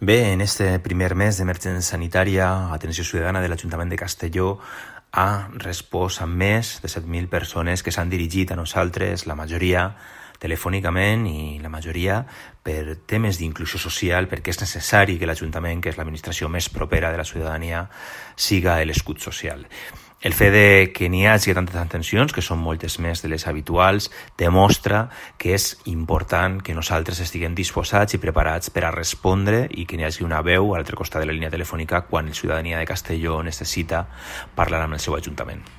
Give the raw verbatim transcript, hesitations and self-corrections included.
Bé, en este primer mes d'emergència sanitària, Atenció Ciutadana de l'Ajuntament de Castelló ha respost amb més de set mil persones que s'han dirigit a nosaltres, la majoria telefònicament i la majoria per temes d'inclusió social, perquè és necessari que l'Ajuntament, que és l'administració més propera de la ciutadania, siga l'escut social. El fet de que n'hi hagi tantes atencions, que són moltes més de les habituals, demostra que és important que nosaltres estiguem disposats i preparats per a respondre i que n'hi hagi una veu a l'altre costat de la línia telefònica quan la ciutadania de Castelló necessita parlar amb el seu ajuntament.